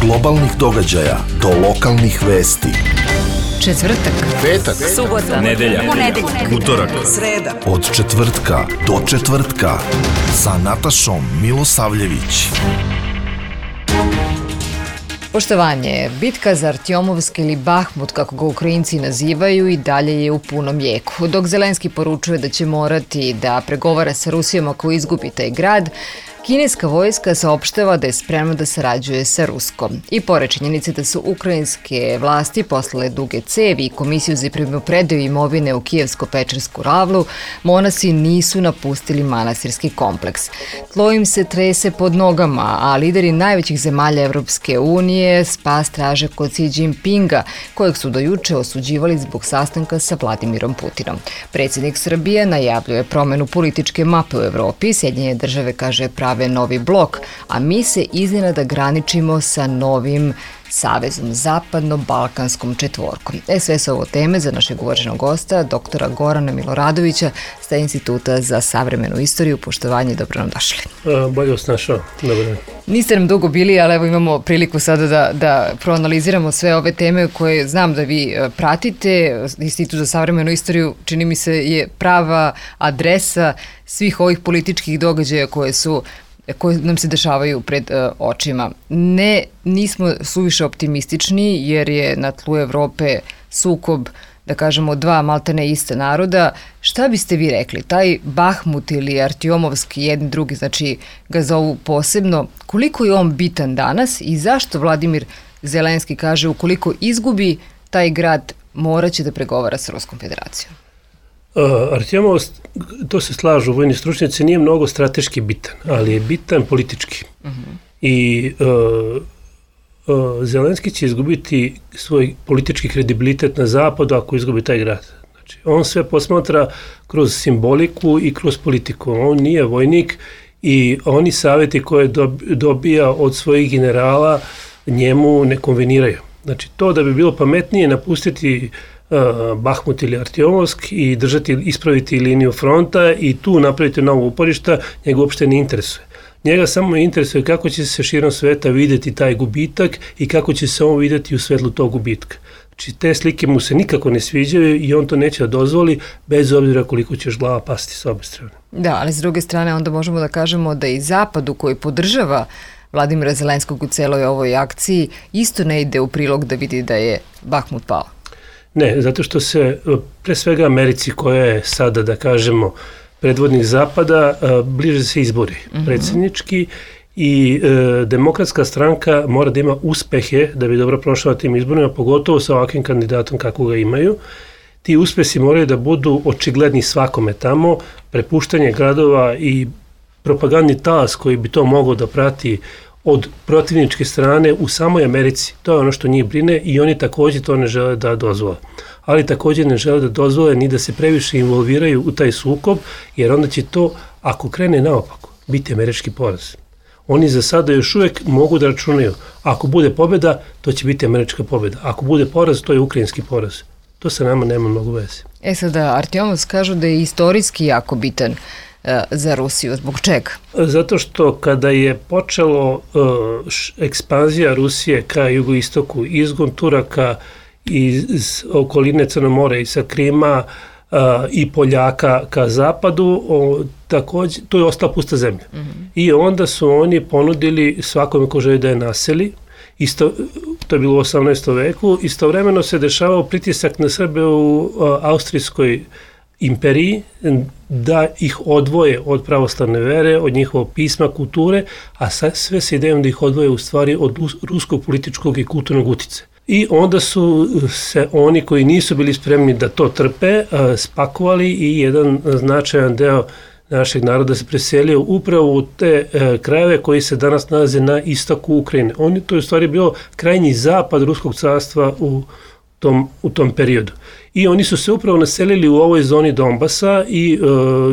globalnih događaja do lokalnih vesti. Četvrtak, Petak, subota, nedelja, utorak, sreda. od četvrtka do četvrtka sa Natašom Milosavljević. Poštovanje, bitka za Artjomovski ili Bahmut, kako ga Ukrajinci nazivaju, i dalje je u punom jeku. Dok Zelenski poručuje da će morati da pregovara sa Rusijom ako izgubi taj grad, kineska vojska saopštava da je spremna da sarađuje sa Ruskom. I pored činjenice da su ukrajinske vlasti poslale duge cevi i komisiju za primopredaju imovine u Kijevsko-Pečersku ravlu, monasi nisu napustili manastirski kompleks. Tlo im se trese pod nogama, a lideri najvećih zemalja Evropske unije spas traže kod Xi Jinpinga, kojeg su do juče osuđivali zbog sastanka sa Vladimirom Putinom. Predsjednik Srbije najavljuje promenu političke mape u Evropi, Sjedinjene države, kaže, prave novi blok, a mi se iznenada graničimo sa novim savezom, zapadno-balkanskom četvorkom. Sve su ovo teme za našeg uvaženog gosta, doktora Gorana Miloradovića sa Instituta za savremenu istoriju. Poštovanje, dobro nam došli. Bolje vas našao, dobro dan. Niste nam dugo bili, ali evo imamo priliku sada da proanaliziramo sve ove teme koje znam da vi pratite. Institut za savremenu istoriju, čini mi se, je prava adresa svih ovih političkih događaja koje nam se dešavaju pred očima. Nismo suviše optimistični jer je na tlu Evrope sukob, da kažemo, dva maltene ista naroda. Šta biste vi rekli? Taj Bahmut ili Artjomovski, jedni drugi, znači ga zovu posebno, koliko je on bitan danas i zašto Vladimir Zelenski kaže ukoliko izgubi taj grad morat će da pregovara sa Ruskom federacijom? Artjemov, to se slažu vojni stručnjaci, nije mnogo strateški bitan, ali je bitan politički. I Zelenski će izgubiti svoj politički kredibilitet na zapadu ako izgubi taj grad. Znači, on sve posmatra kroz simboliku i kroz politiku. On nije vojnik i oni savjeti koje dobija od svojih generala njemu ne konveniraju. Znači, to da bi bilo pametnije napustiti Bahmut ili Artjomovsk i ispraviti liniju fronta i tu napraviti novo uporišta, njega uopšte ne interesuje. Njega samo interesuje kako će se širom sveta vidjeti taj gubitak i kako će se on vidjeti u svetlu tog gubitka. Znači, te slike mu se nikako ne sviđaju i on to neće da dozvoli, bez obzira koliko ćeš glava pasti s obe strane. Da, ali s druge strane onda možemo da kažemo da i Zapadu, koji podržava Vladimira Zelenskog u celoj ovoj akciji, isto ne ide u prilog da vidi da je Bahmut pao. Ne, zato što se pre svega Americi, koja je sada, da kažemo, predvodnik Zapada, bliže se izbori predsjednički i demokratska stranka mora da ima uspehe da bi dobro prošla tim izborima, pogotovo sa ovakvim kandidatom kako ga imaju. Ti uspesi moraju da budu očigledni svakome tamo, prepuštanje gradova i propagandni talas koji bi to mogao da prati od protivničke strane u samoj Americi. To je ono što njih brine i oni također to ne žele da dozvole. Ali također ne žele da dozvole ni da se previše involviraju u taj sukob, jer onda će to, ako krene naopako, biti američki poraz. Oni za sada još uvijek mogu da računaju. Ako bude pobjeda, to će biti američka pobjeda. Ako bude poraz, to je ukrajinski poraz. To sa nama nema mnogo veze. Sada, Artjomovsk kažu da je istorijski jako bitan za Rusiju. Zbog čega? Zato što kada je počelo ekspanzija Rusije ka jugoistoku, izgon Turaka iz okoline Crnomora i sa Krima i Poljaka ka zapadu, također, to je ostala pusta zemlja. I onda su oni ponudili svakome ko želi da je naseli. To je bilo u 18. veku. Istovremeno se dešavao pritisak na Srbe u Austrijskoj imperiji, da ih odvoje od pravoslavne vere, od njihovog pisma, kulture, a sve se idejom da ih odvoje u stvari od ruskog političkog i kulturnog uticaja. I onda su se oni koji nisu bili spremni da to trpe spakovali i jedan značajan deo našeg naroda se preselio upravo u te krajeve koji se danas nalaze na istoku Ukrajine. To je u stvari bio krajnji zapad Ruskog carstva u tom periodu. I oni su se upravo naselili u ovoj zoni Donbasa i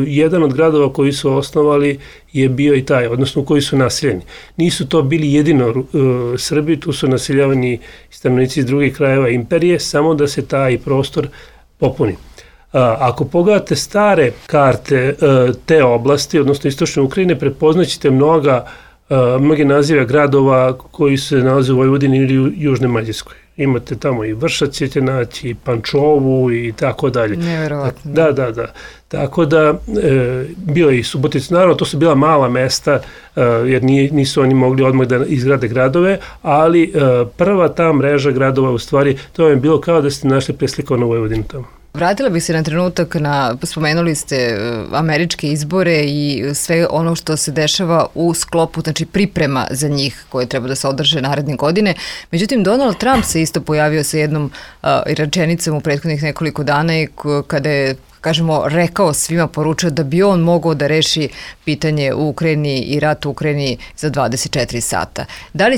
jedan od gradova koji su osnovali je bio i taj, odnosno u koji su naseljeni. Nisu to bili jedino Srbi, tu su naseljavani stanovnici iz drugih krajeva imperije, samo da se taj prostor popuni. Ako pogledate stare karte te oblasti, odnosno istočne Ukrajine, prepoznaćete mnoga mnoge nazive gradova koji se nalaze u Vojvodini ili u Južnoj Mađarskoj. Imate tamo i Vršac ćete naći, i Pančovu i tako dalje. Neverovatno. Da. Tako da, bila i Subotica, naravno to su bila mala mesta, jer nisu oni mogli odmah da izgrade gradove, ali prva ta mreža gradova, u stvari, to je bilo kao da ste našli preslikovanu Vojvodinu tamo. Vratila bih se na trenutak spomenuli ste američke izbore i sve ono što se dešava u sklopu, znači priprema za njih koje treba da se održe naredne godine. Međutim, Donald Trump se isto pojavio sa jednom rečenicom u prethodnih nekoliko dana i kada je rekao svima, poručio da bi on mogao da reši pitanje u Ukrajini i rat u Ukrajini za 24 sata. Da li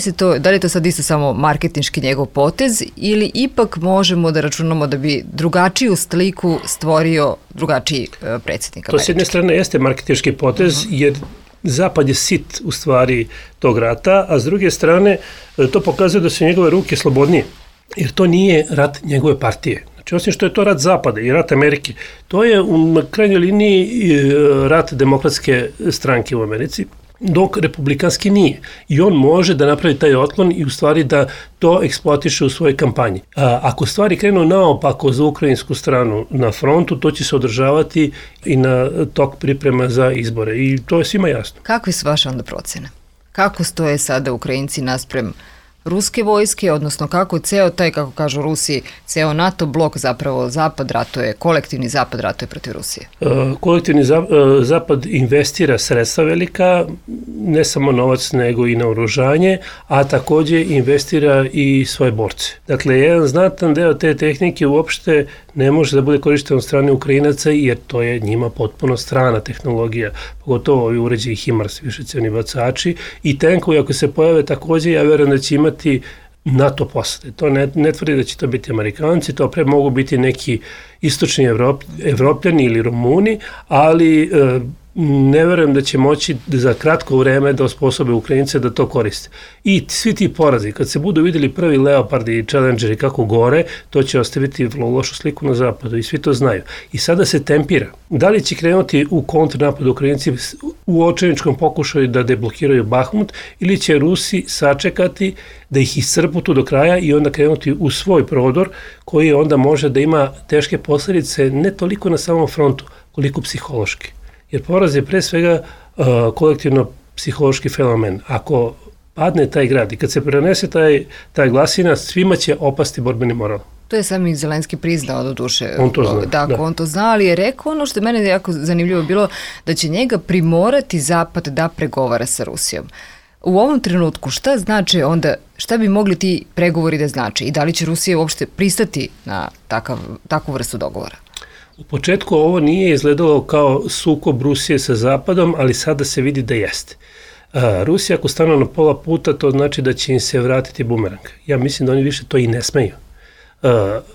je to sad isto samo marketinški njegov potez ili ipak možemo da računamo da bi drugačiju sliku stvorio drugačiji predsjednik Amerike? To s jedne strane jeste marketinški potez, jer Zapad je sit u stvari tog rata, a s druge strane to pokazuje da su njegove ruke slobodnije, jer to nije rat njegove partije. Znači, osim što je to rat Zapada i rat Amerike, to je u krajnjoj liniji rat demokratske stranke u Americi, dok republikanski nije. I on može da napravi taj otklon i u stvari da to eksploatiše u svojoj kampanji. Ako stvari krenu naopako za ukrajinsku stranu na frontu, to će se održavati i na tok priprema za izbore. I to je svima jasno. Kakve su vaše onda procene? Kako stoje sada Ukrajinci naspram ruske vojske, odnosno kako ceo taj, kako kažu Rusi, ceo NATO blok, zapravo Zapad ratuje, kolektivni Zapad ratuje protiv Rusije? Kolektivni Zapad investira sredstva velika, ne samo novac nego i naoružanje, a takođe investira i svoje borce. Dakle, jedan znatan deo te tehnike uopšte ne može da bude korišten od strane Ukrajinaca, jer to je njima potpuno strana tehnologija, pogotovo ovi uređaji HIMARS, višecevni bacači, i tenkovi ako se pojave takođe, ja verujem da će imati NATO posade. To ne tvrdi da će to biti Amerikanci, to pre mogu biti neki istočni Evropljani ili Rumuni, ali ne verujem da će moći za kratko vreme da osposobe Ukrajince da to koriste. I svi ti porazi, kad se budu videli prvi Leopardi i Challengeri kako gore, to će ostaviti vrlo lošu sliku na zapadu i svi to znaju. I sada se tempira. Da li će krenuti u kontranapad Ukrajinci u očajničkom pokušaju da deblokiraju Bahmut, ili će Rusi sačekati da ih iscrpu tu do kraja i onda krenuti u svoj prodor koji onda može da ima teške posljedice ne toliko na samom frontu, koliko psihološki. Jer poraz je pre svega kolektivno psihološki fenomen. Ako padne taj grad i kad se prenese taj glasina, svima će opasti borbeni moral. To je sam i Zelenski priznao do duše. On to zna. Dakle, on to zna, ali je rekao ono što je mene jako zanimljivo bilo, da će njega primorati Zapad da pregovara sa Rusijom. U ovom trenutku šta znači onda, šta bi mogli ti pregovori da znači i da li će Rusija uopšte pristati na takvu vrstu dogovora? U početku ovo nije izgledalo kao sukob Rusije sa Zapadom, ali sada se vidi da jeste. Rusija ako stanu na pola puta, to znači da će im se vratiti bumerang. Ja mislim da oni više to i ne smeju.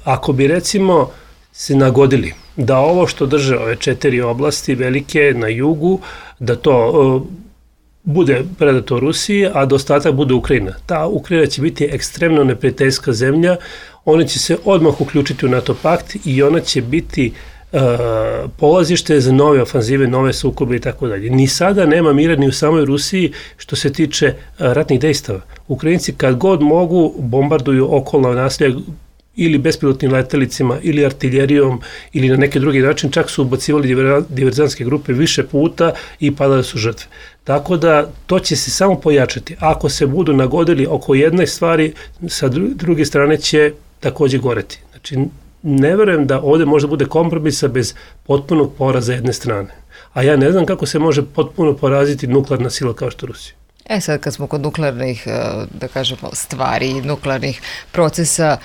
Ako bi recimo se nagodili da ovo što drže ove 4 oblasti velike na jugu, da to bude predato Rusiji, a da ostatak bude Ukrajina. Ta Ukrajina će biti ekstremno neprijateljska zemlja, ona će se odmah uključiti u NATO pakt i ona će biti polazište za nove ofanzive, nove sukobe i tako dalje. Ni sada nema mira ni u samoj Rusiji što se tiče ratnih dejstava. Ukrajinci kad god mogu bombarduju okolna naselja ili bespilotnim letelicima, ili artiljerijom, ili na neki drugi način, čak su ubacivali diverzantske grupe više puta i padale su žrtve. Tako da to će se samo pojačati. Ako se budu nagodili oko jedne stvari, sa druge strane će takođe goreti. Znači, ne verujem da ovde može bude kompromisa bez potpunog poraza jedne strane. A ja ne znam kako se može potpuno poraziti nuklearna sila kao što Rusija. Sad kad smo kod nuklearnih, da kažemo, stvari, nuklearnih procesa,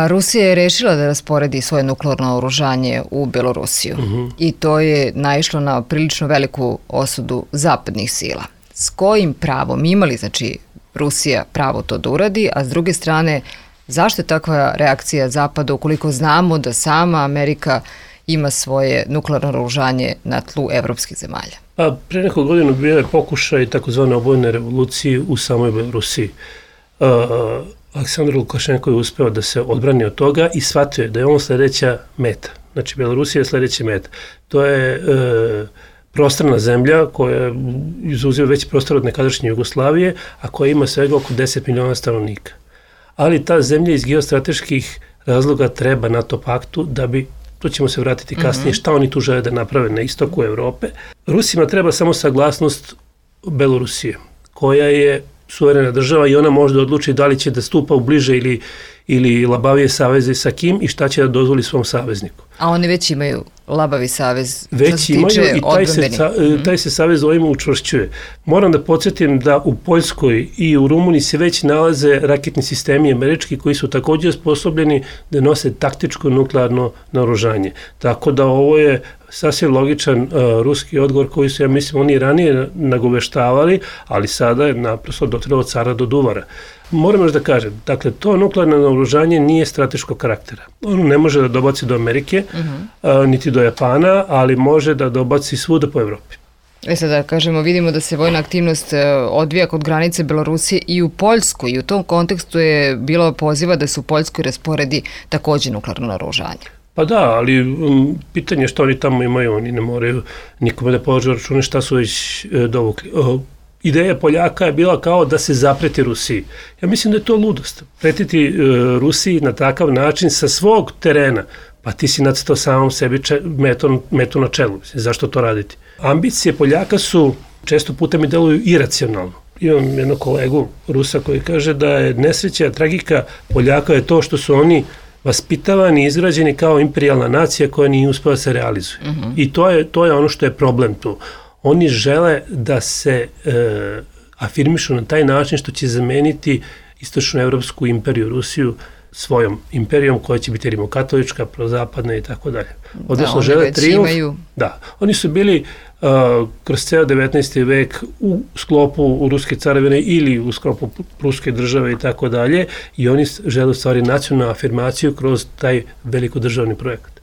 Rusija je rešila da rasporedi svoje nuklearno oružanje u Belorusiju i to je naišlo na prilično veliku osudu zapadnih sila. S kojim pravom imali, znači, Rusija pravo to da uradi, a s druge strane, zašto je takva reakcija Zapada ukoliko znamo da sama Amerika ima svoje nuklearno oružanje na tlu evropskih zemalja? Pre neko godinu bio je pokušaj takozvane obojene revolucije u samoj Belorusiji. Aleksandar Lukašenko je uspeo da se odbrani od toga i shvatio je da je on sledeća meta. Znači, Belorusija je sledeća meta. To je prostrana zemlja koja izuzima veći prostor od nekadašnje Jugoslavije, a koja ima svega oko 10 miliona stanovnika. Ali ta zemlja iz geostrateških razloga treba NATO paktu da bi, to ćemo se vratiti kasnije, šta oni tu žele da naprave na istoku Evrope. Rusima treba samo saglasnost Belorusije, koja je suverena država i ona može da odluči da li će da stupa u bliže ili labavije saveze sa kim i šta će da dozvoli svom savezniku. A oni već imaju labavi savez, već imaju i taj se savez ovima učvršćuje. Moram da podsjetim da u Poljskoj i u Rumuniji se već nalaze raketni sistemi američki koji su također sposobljeni da nose taktičko nuklearno naoružanje. Tako da ovo je sasvim logičan ruski odgovor koji su, ja mislim, oni ranije nagoveštavali, ali sada je naprosto dotrelo od cara do duvara. Moram još da kažem, dakle, to nuklearno naoružanje nije strateškog karaktera. Ono ne može da dobaci do Amerike, niti do Japana, ali može da dobaci svuda po Evropi. Sada kažemo, vidimo da se vojna aktivnost odvija kod granice Belorusije i u Poljskoj i u tom kontekstu je bilo poziva da se u Poljskoj rasporedi također nuklearno naoružanje. Pa da, ali pitanje što oni tamo imaju, oni ne moraju nikome da polože račune šta su već dovukli. Ideja Poljaka je bila kao da se zapreti Rusiji. Ja mislim da je to ludost. Pretiti Rusiji na takav način sa svog terena, pa ti si nacrtao samom sebi metu na čelu. Zašto to raditi? Ambicije Poljaka su često puta mi deluju iracionalno. Imam jednog kolegu Rusa koji kaže da je nesreća, tragika Poljaka je to što su oni vaspitavani i izgrađeni kao imperijalna nacija koja nije uspela da se realizuje. I to je ono što je problem tu. Oni žele da se afirmišu na taj način što će zameniti istočnoevropsku imperiju Rusiju svojom imperijom koja će biti rimokatolička, prozapadna i tako dalje. Odnosno žele trijumf. Da, oni su bili kroz ceo 19. vek u sklopu ruske carevine ili u sklopu pruske države i tako dalje i oni žele u stvari nacionalnu afirmaciju kroz taj velikodržavni projekat.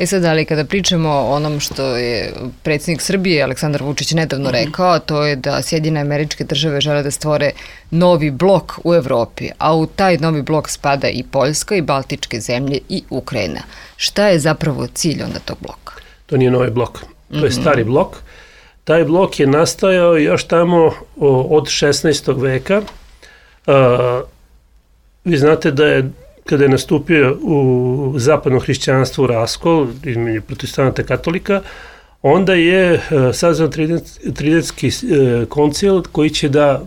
Sad, ali kada pričamo o onom što je predsjednik Srbije Aleksandar Vučić nedavno rekao, to je da Sjedinjene Američke Države žele da stvore novi blok u Evropi, a u taj novi blok spada i Poljska i Baltičke zemlje i Ukrajina. Šta je zapravo cilj onda tog bloka? To nije novi blok, to je stari blok. Taj blok je nastajao još tamo od 16. veka. Vi znate da je kada je nastupio u zapadno hrišćanstvo raskol između protestanata i katolika, onda je sazvan Tridentski koncil koji će da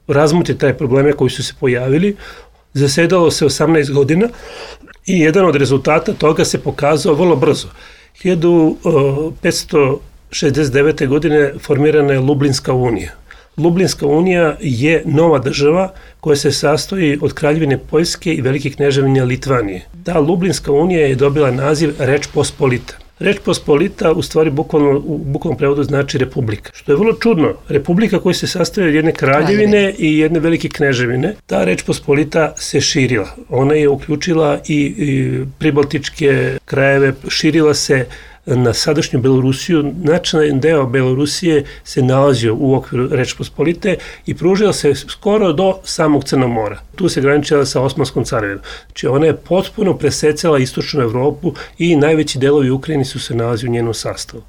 razmotri taj probleme koji su se pojavili. Zasedalo se 18 godina i jedan od rezultata toga se pokazao vrlo brzo. 1569. godine formirana je Lublinska unija. Lublinska unija je nova država koja se sastoji od Kraljevine Poljske i Velike kneževine Litvanije. Ta Lublinska unija je dobila naziv Reč Pospolita. Reč Pospolita u stvari u bukvalnom prevodu znači republika. Što je vrlo čudno. Republika koja se sastoji od jedne kraljevine i jedne velike kneževine. Ta Reč Pospolita se širila. Ona je uključila i pribaltičke krajeve, širila se na sadašnju Belorusiju. Značajan deo Belorusije se nalazio u okviru Reč Pospolite i pružila se skoro do samog Crnog mora. Tu se graničila sa Osmanskom carevinom. Znači ona je potpuno presecala istočnu Evropu i najveći delovi Ukrajine su se nalazi u njenom sastavu.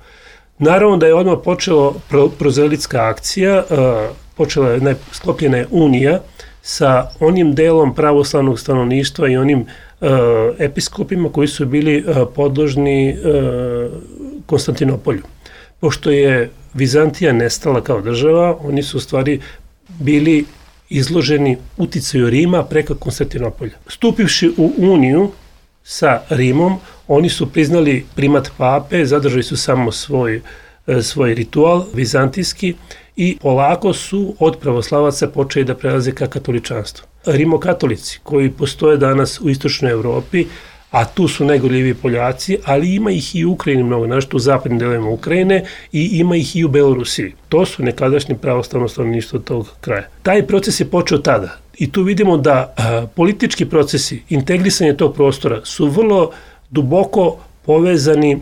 Naravno da je odmah počela prozelitska akcija, sklopljena je unija sa onim delom pravoslavnog stanovništva i onim episkopima koji su bili podložni Konstantinopolju. Pošto je Vizantija nestala kao država, oni su u stvari bili izloženi uticaju Rima preko Konstantinopolja. Stupivši u uniju sa Rimom, oni su priznali primat pape, zadržali su samo svoj ritual vizantijski i polako su od pravoslavaca počeli da prelaze ka katoličanstvu. Rimokatolici koji postoje danas u istočnoj Evropi, a tu su najgorljiviji Poljaci, ali ima ih i u Ukrajini mnogo, našto u zapadnim delovima Ukrajine i ima ih i u Belorusiji. To su nekadašnji pravoslavno stanovništvo tog kraja. Taj proces je počeo tada i tu vidimo da politički procesi, integrisanje tog prostora su vrlo duboko povezani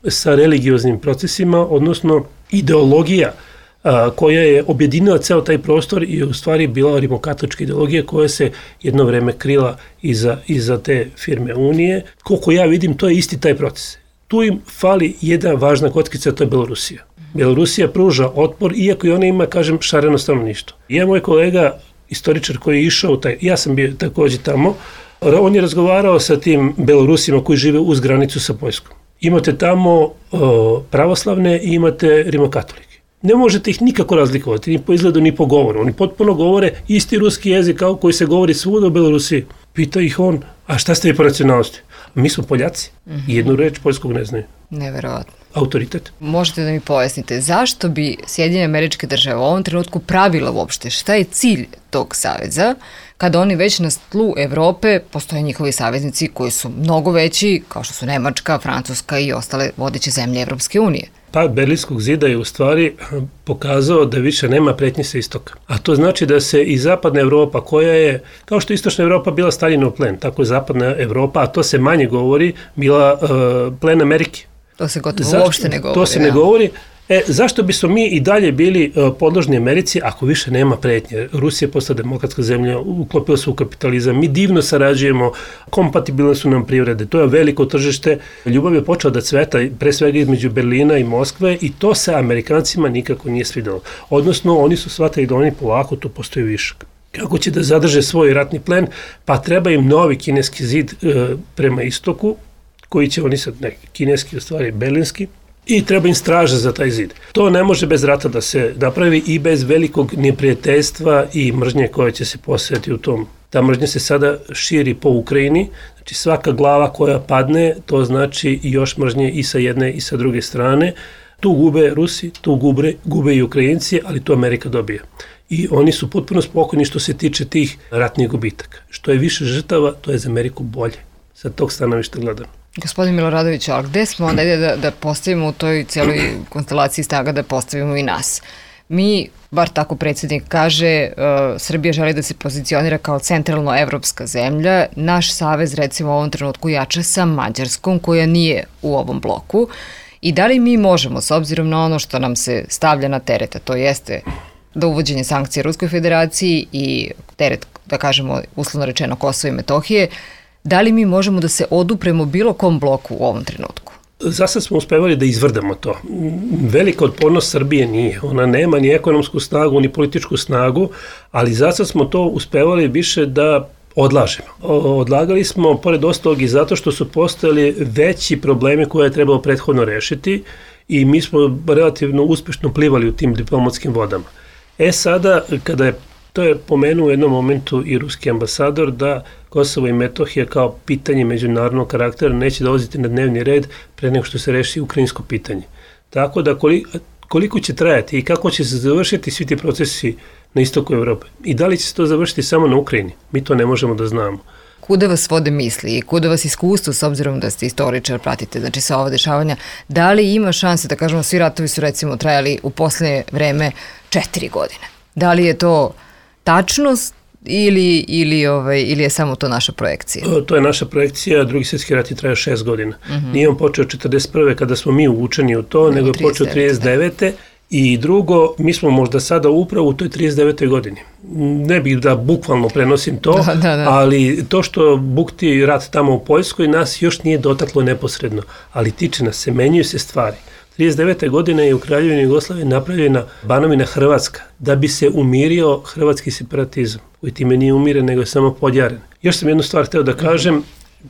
sa religioznim procesima, odnosno ideologija koja je objedinila ceo taj prostor i u stvari bila rimokatolička ideologija koja se jedno vreme krila iza te firme Unije. Koliko ja vidim, to je isti taj proces. Tu im fali jedna važna kockica, to je Belorusija. Belorusija pruža otpor, iako i ona ima, kažem, šareno stanovništvo. Ja, moj kolega, istoričar koji je išao, ja sam bio takođe tamo, on je razgovarao sa tim Belorusima koji žive uz granicu sa Poljskom. Imate tamo pravoslavne i imate rimokatolike. Ne možete ih nikako razlikovati, ni po izgledu, ni po govoru. Oni potpuno govore isti ruski jezik kao koji se govori svuda u Belorusiji. Pita ih on, a šta ste vi po nacionalnosti? Mi smo Poljaci. Jednu reč poljskog ne znaju. Neverovatno. Autoritet. Možete da mi pojasnite, zašto bi Sjedinjene Američke Države u ovom trenutku pravila uopšte? Šta je cilj tog saveza? Kada oni već na tlu Evrope postoje njihovi saveznici koji su mnogo veći, kao što su Nemačka, Francuska i ostale vodeće zemlje Evropske unije. Pad Berlinskog zida je u stvari pokazao da više nema pretnje sa istoka. A to znači da se i zapadna Evropa, koja je, kao što je istočna Evropa bila Staljinov plen, tako je zapadna Evropa, a to se manje govori, bila plen Amerike. To se gotovo uopšte ne govori. To se ne govori. Zašto bismo mi i dalje bili podložni Americi ako više nema pretnje? Rusija je postala demokratska zemlja, uklopila se u kapitalizam, mi divno sarađujemo, kompatibilne su nam privrede, to je veliko tržište. Ljubav je počela da cveta pre svega između Berlina i Moskve i to se Amerikancima nikako nije svidelo. Odnosno, oni su shvatili da oni polako tu postoji višak. Kako će da zadrže svoj ratni plen? Pa treba im novi kineski zid prema istoku, koji će oni sad, neki kineski, u stvari berlinski, i treba im straža za taj zid. To ne može bez rata da se napravi i bez velikog neprijateljstva i mržnje koje će se posejati u tom. Ta mržnja se sada širi po Ukrajini, znači svaka glava koja padne, to znači i još mržnje i sa jedne i sa druge strane. Tu gube Rusi, tu gube i Ukrajinci, ali to Amerika dobije. I oni su potpuno spokojni što se tiče tih ratnih gubitaka. Što je više žrtava, to je za Ameriku bolje. Sa tog stanovišta gledam. Gospodin Miloradović, ali gde smo onda da postavimo u toj cijeloj konstelaciji snaga, da postavimo i nas? Mi, bar tako predsjednik kaže, Srbija želi da se pozicionira kao centralno evropska zemlja. Naš savez, recimo, u ovom trenutku jača sa Mađarskom, koja nije u ovom bloku. I da li mi možemo, s obzirom na ono što nam se stavlja na tereta, to jeste da uvođenje sankcija Ruskoj federaciji i teret, da kažemo, uslovno rečeno Kosovo i Metohije, da li mi možemo da se odupremo bilo kom bloku u ovom trenutku? Zasad smo uspevali da izvrdamo to. Velika otpornost Srbije nije. Ona nema ni ekonomsku snagu, ni političku snagu, ali zasad smo to uspevali više da odlažemo. Odlagali smo, pored ostalog, i zato što su postojali veći problemi koje je trebalo prethodno rešiti i mi smo relativno uspešno plivali u tim diplomatskim vodama. Sada, kada je to je pomenuo u jednom momentu i ruski ambasador da Kosovo i Metohija kao pitanje međunarodnog karaktera neće dolaziti na dnevni red pre nego što se reši ukrajinsko pitanje. Tako da koliko će trajati i kako će se završiti svi ti procesi na istoku Evrope i da li će se to završiti samo na Ukrajini, mi to ne možemo da znamo. Kuda vas vode misli i kuda vas iskustvo, s obzirom da ste istoričar, pratite znači sva ova dešavanja, da li ima šanse, da kažemo, svi ratovi su recimo trajali u poslednje vreme 4 godine? Da li je to tačnost ili je samo to naša projekcija? To je naša projekcija, Drugi svjetski rat je trajao 6 godina. Nije on počeo 1941. kada smo mi uvučeni u to, nego je počeo 1939. I drugo, mi smo možda sada upravo u toj 39. godini. Ne bih da bukvalno prenosim to, ali to što bukti rat tamo u Poljskoj nas još nije dotaklo neposredno, ali tiče nas se, menjaju se stvari. 39. godine je u Kraljevini Jugoslavije napravljena Banovina Hrvatska da bi se umirio hrvatski separatizam, koji time nije umiren, nego je samo podjaren. Još sam jednu stvar hteo da kažem,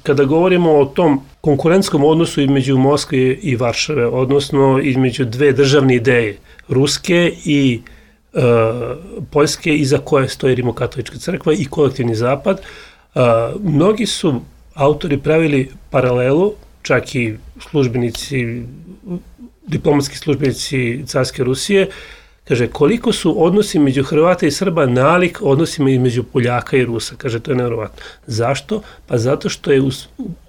kada govorimo o tom konkurentskom odnosu između Moskve i Varšave, odnosno između dve državne ideje, ruske i poljske, iza koje stoji Rimokatolička crkva i kolektivni zapad, mnogi su autori pravili paralelu, čak i službenici, diplomatski službenici carske Rusije, kaže koliko su odnosi među Hrvata i Srba nalik odnosima između Poljaka i Rusa. Kaže, to je nevjerovatno. Zašto? Pa zato što je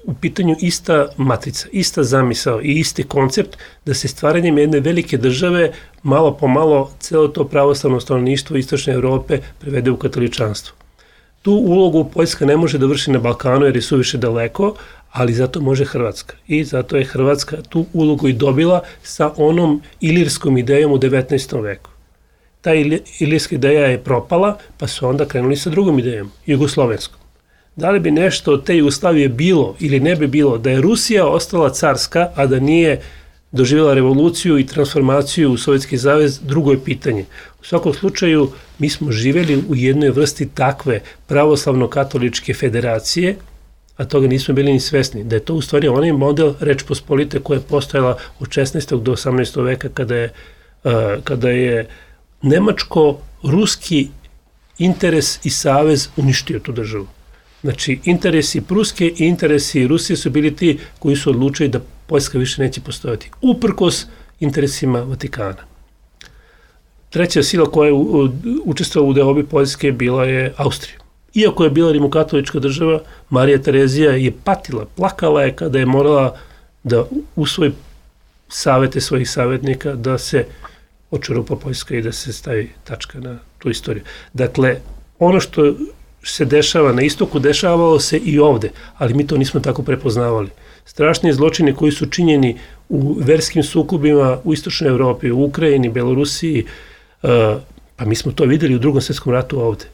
u pitanju ista matrica, ista zamisao i isti koncept da se stvaranjem jedne velike države malo po malo celo to pravoslavno stanovništvo istočne Evrope prevede u katoličanstvo. Tu ulogu Poljska ne može da vrši na Balkanu jer je suviše daleko, ali zato može Hrvatska. I zato je Hrvatska tu ulogu i dobila sa onom ilirskom idejom u 19. veku. Ta ilirska ideja je propala, pa su onda krenuli sa drugom idejom, jugoslovenskom. Da li bi nešto od te Jugoslavije bilo ili ne bi bilo da je Rusija ostala carska, a da nije doživjela revoluciju i transformaciju u Sovjetski savez, drugo je pitanje. U svakom slučaju, mi smo živjeli u jednoj vrsti takve pravoslavno-katoličke federacije, a toga nismo bili ni svesni, da je to u stvari onaj model Reč Pospolite koja je postojala od 16. do 18. veka kada je nemačko-ruski interes i savez uništio tu državu. Znači, interesi Pruske i interesi Rusije su bili ti koji su odlučili da Poljska više neće postojati, uprkos interesima Vatikana. Treća sila koja je učestvovala u deobi Poljske bila je Austrija. Iako je bila rimokatolička država, Marija Terezija je patila, plakala je kada je morala da usvoji savete svojih savjetnika da se očurupa Poljska i da se stavi tačka na tu istoriju. Dakle, ono što se dešava na istoku, dešavalo se i ovde, ali mi to nismo tako prepoznavali. Strašni zločini koji su činjeni u verskim sukobima u istočnoj Evropi, u Ukrajini, Belorusiji, pa mi smo to videli u Drugom svjetskom ratu ovde.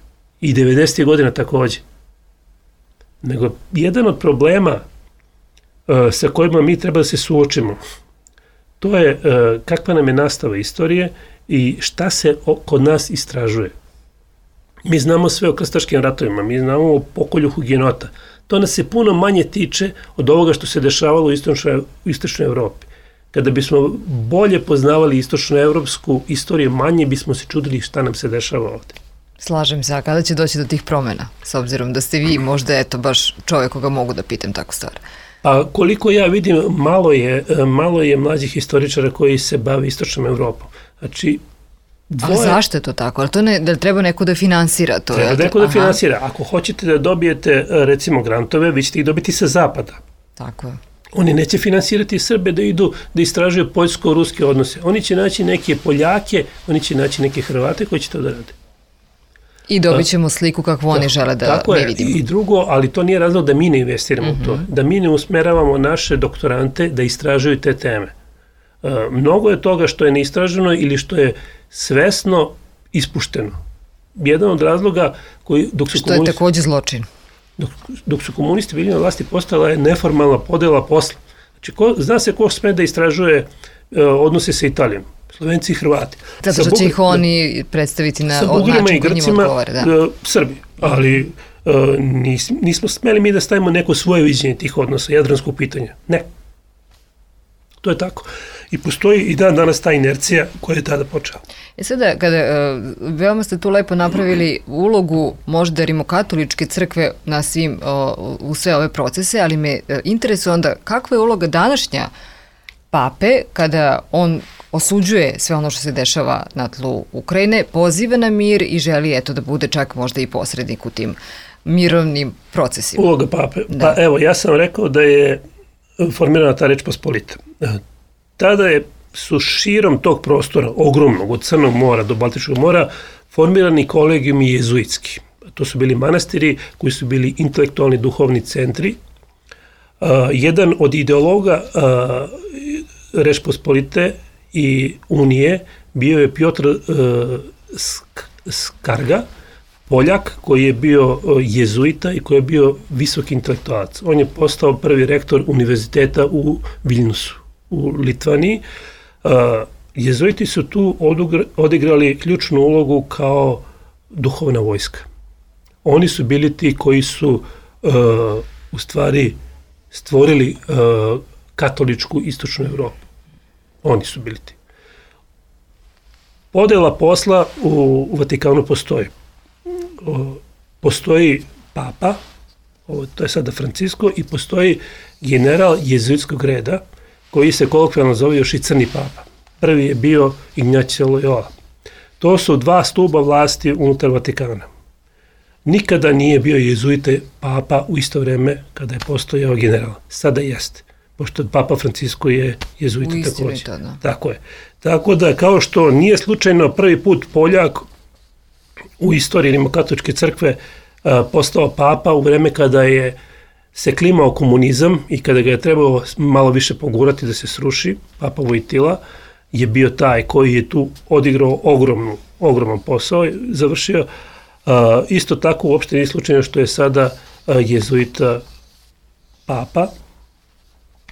I 90. godina takođe. Nego, jedan od problema sa kojima mi treba da se suočimo, to je kakva nam je nastava istorije i šta se kod nas istražuje. Mi znamo sve o krstaškim ratovima, mi znamo o pokolju hugenota. To nas se puno manje tiče od ovoga što se dešavalo u istočnoj Evropi. Kada bismo bolje poznavali istočnoevropsku istoriju, manje bismo se čudili šta nam se dešava ovde. Slažem se, a kada će doći do tih promjena? S obzirom da ste vi možda baš čovjek koga mogu da pitam tako stvar. Pa koliko ja vidim, malo je mlađih historičara koji se bave istočnom Evropom. Znači, A zašto je to tako? Ali to da treba neko da finansira to? Treba neko da finansira. Ako hoćete da dobijete, recimo, grantove, vi ćete ih dobiti sa zapada. Tako je. Oni neće finansirati Srbe da idu da istražuju poljsko-ruske odnose. Oni će naći neke Poljake, oni će naći neke Hrvate koji će to da rade. I dobit ćemo sliku kakvu oni žele da ne vidimo. I drugo, ali to nije razlog da mi ne investiramo u to. Da mi ne usmeravamo naše doktorante da istražuju te teme. Mnogo je toga što je neistraženo ili što je svesno ispušteno. Jedan od razloga koji... Što je takođe zločin. Dok su komunisti bili na vlasti, postala je neformalna podela posla. Znači, zna se ko sme da istražuje odnose sa Italijom. Slovenci i Hrvati. Zato što će ih oni predstaviti na način koji njima odgovara. Srbi. Ali nismo smeli mi da stavimo neko svoje viđenje tih odnosa, jadranskog pitanja. Ne. To je tako. I postoji i danas ta inercija koja je tada počela. Sada, veoma ste tu lepo napravili ulogu možda rimokatoličke crkve na svim, u sve ove procese, ali me interesuje onda kakva je uloga današnja pape kada on osuđuje sve ono što se dešava na tlu Ukrajine, poziva na mir i želi da bude čak možda i posrednik u tim mirovnim procesima. Uloga pape. Da. Pa evo, ja sam rekao da je formirana ta Reč Pospolita. Tada su širom tog prostora, ogromnog, od Crnog mora do Baltičkog mora, formirani kolegijumi jezuitski. To su bili manastiri koji su bili intelektualni duhovni centri. Jedan od ideologa Reč Pospolite i Unije bio je Piotr Skarga, Poljak koji je bio jezuita i koji je bio visoki intelektualac. On je postao prvi rektor univerziteta u Viljnusu, u Litvaniji. Jezuiti su tu odigrali ključnu ulogu kao duhovna vojska. Oni su bili ti koji su u stvari stvorili katoličku istočnu Evropu. Oni su bili ti. Podela posla u Vatikanu postoji. Postoji papa, to je sada Francisko, i postoji general jezuitskog reda, koji se kolokvijalno zove još i Crni papa. Prvi je bio Ignacio Loyola. To su dva stuba vlasti unutar Vatikana. Nikada nije bio jezuite papa u isto vreme kada je postojao general. Sada jeste, pošto papa Francisko je jezuita takođe. Tako je. Tako da, kao što nije slučajno prvi put Poljak u istoriji rimokatoličke crkve postao papa u vreme kada je se klimao komunizam i kada ga je trebalo malo više pogurati da se sruši, papa Vojtila je bio taj koji je tu odigrao ogroman posao, završio. Isto tako uopšte nije slučajno što je sada jezuita papa.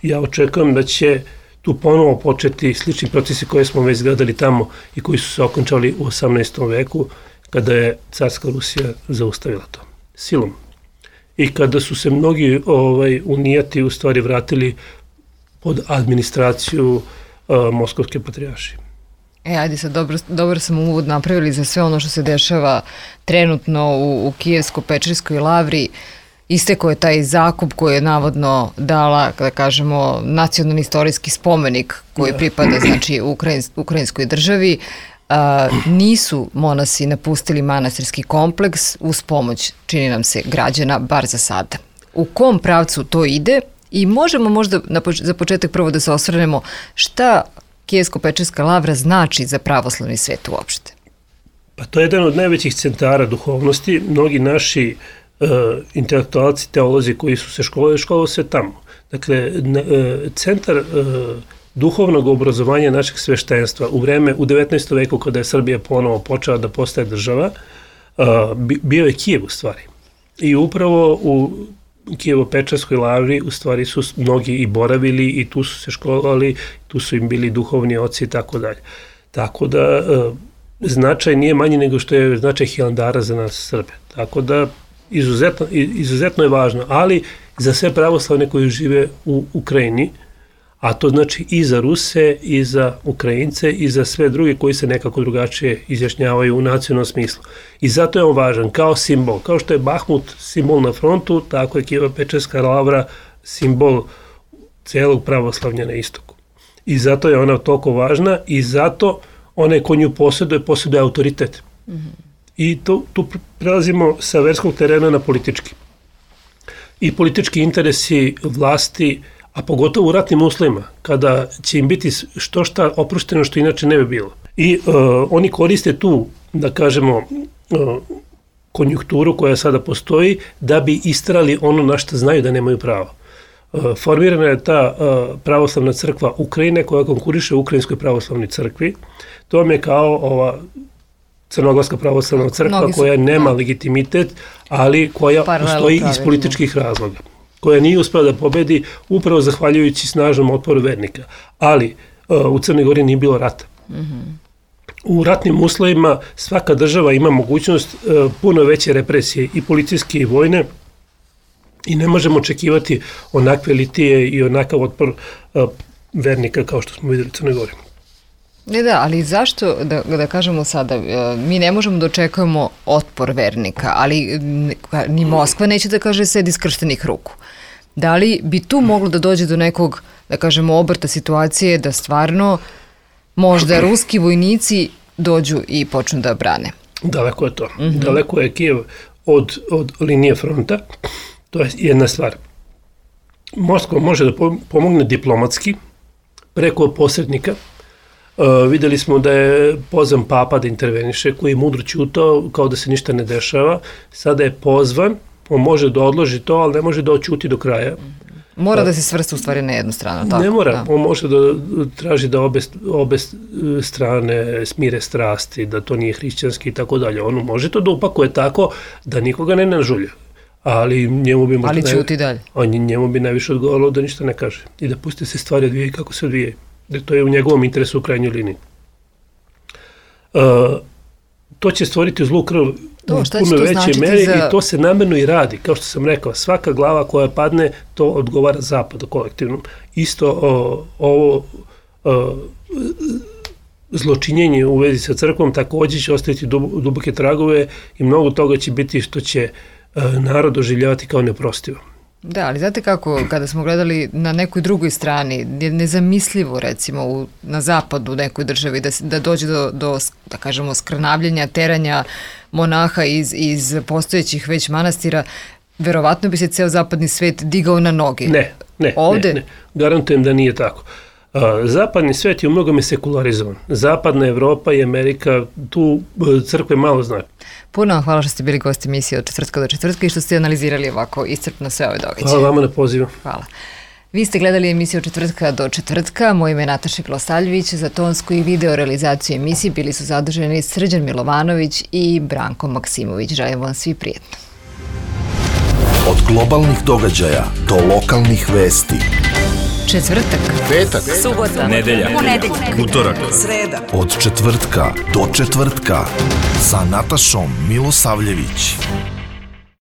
Ja očekujem da će tu ponovo početi slični procesi koje smo već gledali tamo i koji su se okončali u 18. veku, kada je carska Rusija zaustavila to silom. I kada su se mnogi unijati u stvari vratili pod administraciju Moskovske patrijaršije. Ajde sad, dobro sam uvod napravili za sve ono što se dešava trenutno u Kijevsko-Pečerskoj lavri. Istekao je taj zakup koji je navodno dala, da kažemo, nacionalni istorijski spomenik koji pripada, znači, ukrajinskoj državi. Nisu monasi napustili manastirski kompleks uz pomoć, čini nam se, građana, bar za sada. U kom pravcu to ide? I možemo možda za početak prvo da se osvrnemo šta Kijevsko-Pečerska lavra znači za pravoslavni svet uopšte? Pa to je jedan od najvećih centara duhovnosti. Mnogi naši intelektualci, teolozi koji su se školovali se tamo. Dakle, centar duhovnog obrazovanja našeg sveštenstva u 19. veku kada je Srbija ponovo počela da postaje država, bio je Kijev u stvari. I upravo u Kijevo-Pečerskoj lavri u stvari su mnogi i boravili i tu su se školovali, tu su im bili duhovni oci i tako dalje. Tako da značaj nije manji nego što je značaj Hilandara za nas Srbe. Tako da izuzetno je važno, ali za sve pravoslavne koji žive u Ukrajini, a to znači i za Ruse, i za Ukrajince, i za sve druge koji se nekako drugačije izjašnjavaju u nacionalnom smislu. I zato je on važan kao simbol. Kao što je Bahmut simbol na frontu, tako je Kijevo-Pečerska lavra simbol celog pravoslavlja na istoku. I zato je ona toliko važna i zato onaj ko nju posjeduje autoritet. I tu prelazimo sa verskog terena na politički. I politički interesi vlasti, a pogotovo u ratnim uslovima, kada će im biti što šta oprošteno što inače ne bi bilo. I oni koriste tu, da kažemo, konjunkturu koja sada postoji, da bi istrali ono na što znaju da nemaju pravo. Formirana je ta pravoslavna crkva Ukrajine koja konkuriše Ukrajinskoj pravoslavnoj crkvi. To vam je kao ova Crnogorska pravoslavna crkva koja nema legitimitet, ali koja postoji iz političkih razloga, koja nije uspela da pobedi upravo zahvaljujući snažnom otporu vernika. Ali u Crnoj Gori nije bilo rata. U ratnim uslovima svaka država ima mogućnost puno veće represije i policijske i vojne i ne možemo očekivati onakve litije i onakav otpor vernika kao što smo vidjeli u Crnoj Gori. Da, ali zašto, da kažemo sada, mi ne možemo da očekujemo otpor vernika, ali ni Moskva neće da kaže sedi skrštenih ruku. Da li bi tu moglo da dođe do nekog, da kažemo, obrta situacije da stvarno možda ruski vojnici dođu i počnu da brane? Daleko je to. Daleko je Kijev od linije fronta. To je jedna stvar. Moskva može da pomogne diplomatski preko posrednika. Videli smo da je pozvan papa da interveniše, koji je mudro ćutao kao da se ništa ne dešava. Sada je pozvan, on može da odloži to, ali ne može da oćuti do kraja. Mora da se svrsta u stvari na jednu stranu, tako? Ne mora, on može da traži da obe strane smire strasti, da to nije hrišćanski i tako dalje. On može to da upakuje tako da nikoga ne nažulja. Ali njemu bi ćuti dalje. Njemu bi najviše odgovaralo da ništa ne kaže i da pusti se stvari odvijaju kako se odvijaju. To je u njegovom interesu u krajnjoj liniji. To će stvoriti zlu krv u puno većoj meri i to se namerno i radi. Kao što sam rekao, svaka glava koja padne, to odgovara zapadu kolektivnom. Isto ovo zločinjenje u vezi sa crkvom također će ostaviti duboke tragove i mnogo toga će biti što će narod doživljavati kao neprostivo. Da, ali znate kako, kada smo gledali na nekoj drugoj strani, nezamislivo recimo na zapadu u nekoj državi da dođe do da kažemo, skrnavljenja, teranja monaha iz postojećih već manastira, verovatno bi se ceo zapadni svet digao na noge. Ne. Garantujem da nije tako. Zapadni svet je u mnogome sekularizovan. Zapadna Evropa i Amerika, tu crkve malo znaju. Puno vam hvala što ste bili gosti emisije od četvrtka do četvrtka i što ste analizirali ovako iscrpno sve ove događaje. Hvala vama na pozivu. Hvala. Vi ste gledali emisiju od četvrtka do četvrtka. Moje ime je Nataša Milosavljević. Za tonsku i video realizaciju emisije bili su zaduženi Srđan Milovanović i Branko Maksimović. Želim vam svi prijetno. Od globalnih događaja do lokalnih vesti. Četvrtak, Petak, subota, Nedelja, ponedeljak, utorak, sreda, od četvrtka do četvrtka sa Natašom Milosavljević.